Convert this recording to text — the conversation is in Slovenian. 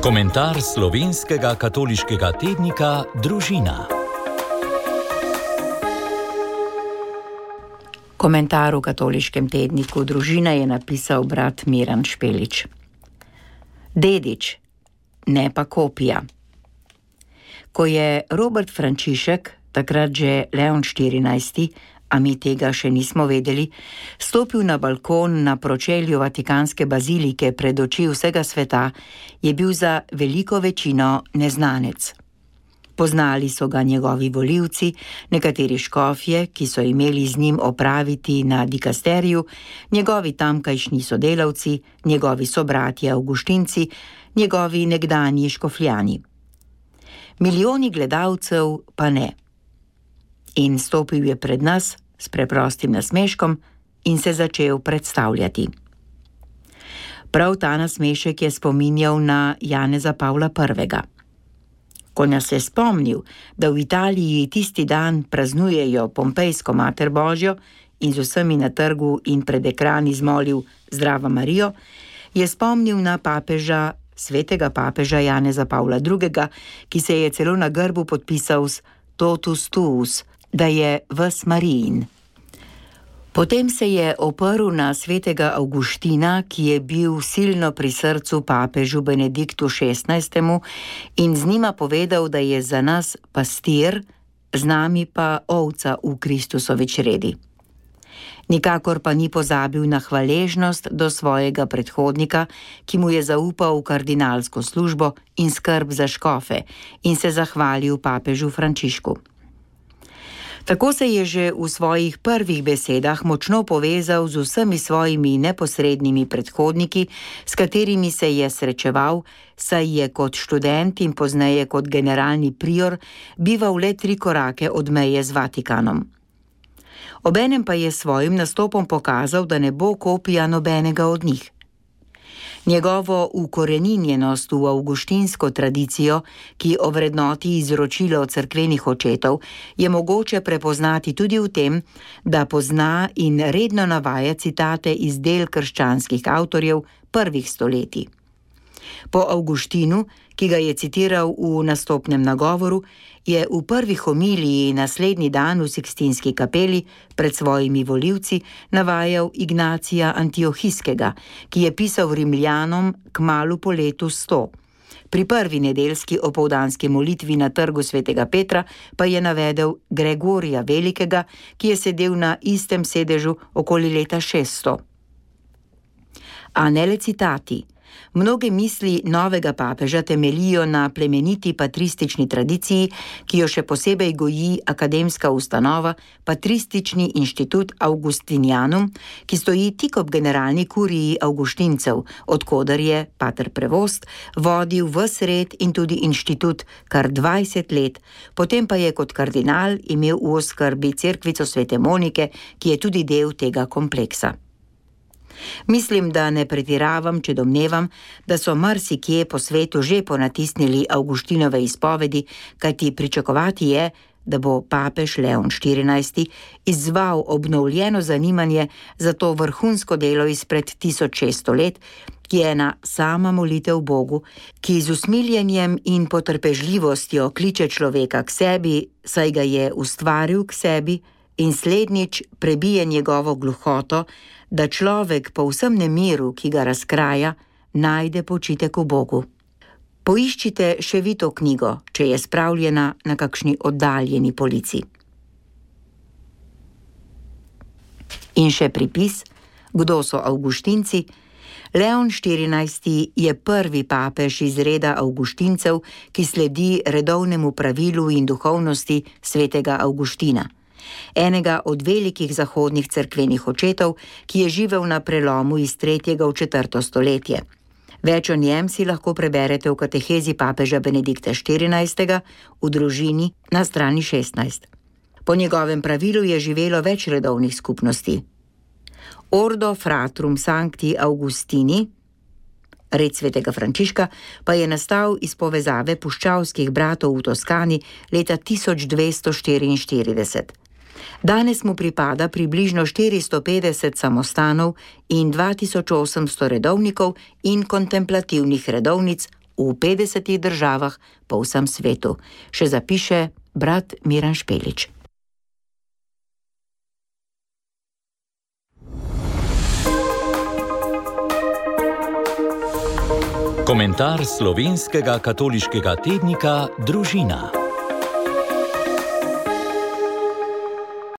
Komentar slovenskega katoliškega tednika Družina. Komentar v katoliškem tedniku Družina je napisal brat Miran Špelič. Dedič, ne pa kopija. Ko je Robert Frančišek, takrat že Leon XIV, a mi tega še nismo vedeli, stopil na balkon na pročelju Vatikanske bazilike pred oči vsega sveta, je bil za veliko večino neznanec. Poznali so ga njegovi volivci, nekateri škofje, ki so imeli z njim opraviti na dikasteriju, njegovi tamkajšnji sodelavci, njegovi sobratje avguštinci, njegovi nekdanji škofljani. Milijoni gledalcev pa ne. In stopil je pred nas s preprostim nasmeškom in se začel predstavljati. Prav ta nasmešek je spominjal na Janeza Pavla I. Ko nas je spomnil, da v Italiji tisti dan praznujejo Pompejsko mater Božjo in z vsemi na trgu in pred ekrani zmolil Zdrava Marijo, je spomnil na papeža, svetega papeža Janeza Pavla II., ki se je celo na grbu podpisal s Totus tuus, da je ves Marijin. Potem se je oprl na svetega Avguština, ki je bil silno pri srcu papežu Benediktu XVI in z njima povedal, da je za nas pastir, z nami pa ovca v Kristusovi čredi. Nikakor pa ni pozabil na hvaležnost do svojega predhodnika, ki mu je zaupal kardinalsko službo in skrb za škofe in se zahvalil papežu Frančišku. Tako se je že v svojih prvih besedah močno povezal z vsemi svojimi neposrednimi predhodniki, s katerimi se je srečeval, saj je kot študent in pozneje kot generalni prior bival le 3 korake od meje z Vatikanom. Obenem pa je svojim nastopom pokazal, da ne bo kopija nobenega od njih. Njegovo ukoreninjenost v avguštinsko tradicijo, ki ovrednoti izročilo cerkvenih očetov, je mogoče prepoznati tudi v tem, da pozna in redno navaja citate iz del krščanskih avtorjev prvih stoletij. Po Avguštinu, ki ga je citiral v nastopnem nagovoru, je v prvi homiliji naslednji dan v Sikstinski kapeli pred svojimi volivci navajal Ignacija Antiohijskega, ki je pisal Rimljanom kmalu po letu 100. Pri prvi nedeljski opoldanski molitvi na trgu svetega Petra pa je navedel Gregorija Velikega, ki je sedel na istem sedežu okoli leta 600. A ne le citati. Mnoge misli novega papeža temeljijo na plemeniti patristični tradiciji, ki jo še posebej goji akademska ustanova Patristični inštitut Augustinianum, ki stoji tik ob generalni kuriji avguštincev, odkoder je pater Prevost vodil ves red in tudi inštitut kar 20 let, potem pa je kot kardinal imel v oskrbi cerkvico svete Monike, ki je tudi del tega kompleksa. Mislim, da ne pretiravam, če domnevam, da so marsikje po svetu že ponatisnili Avguštinove izpovedi, kajti pričakovati je, da bo papež Leon XIV izzval obnovljeno zanimanje za to vrhunsko delo izpred 1600 let, ki je ena sama molitev Bogu, ki z usmiljenjem in potrpežljivostjo kliče človeka k sebi, saj ga je ustvaril k sebi in slednjič prebije njegovo gluhoto, da človek po vsem nemiru, ki ga razkraja, najde počitek v Bogu. Poiščite še vi to knjigo, če je spravljena na kakšni oddaljeni polici. In še pripis, kdo so avguštinci? Leon XIV je prvi papež iz reda avguštincev, ki sledi redovnemu pravilu in duhovnosti svetega Avguština. Enega od velikih zahodnih cerkvenih očetov, ki je živel na prelomu iz 3. v 4. stoletje. Več o njem si lahko preberete v katehezi papeža Benedikta XIV. V Družini na strani 16. Po njegovem pravilu je živelo več redovnih skupnosti. Ordo Fratrum Sancti Augustini, red svetega Frančiška, pa je nastal iz povezave puščavskih bratov v Toskani leta 1244. Danes mu pripada približno 450 samostanov in 2800 redovnikov in kontemplativnih redovnic v 50 državah po vsem svetu, še zapiše brat Miran Špelič. Komentar slovenskega katoliškega tednika Družina.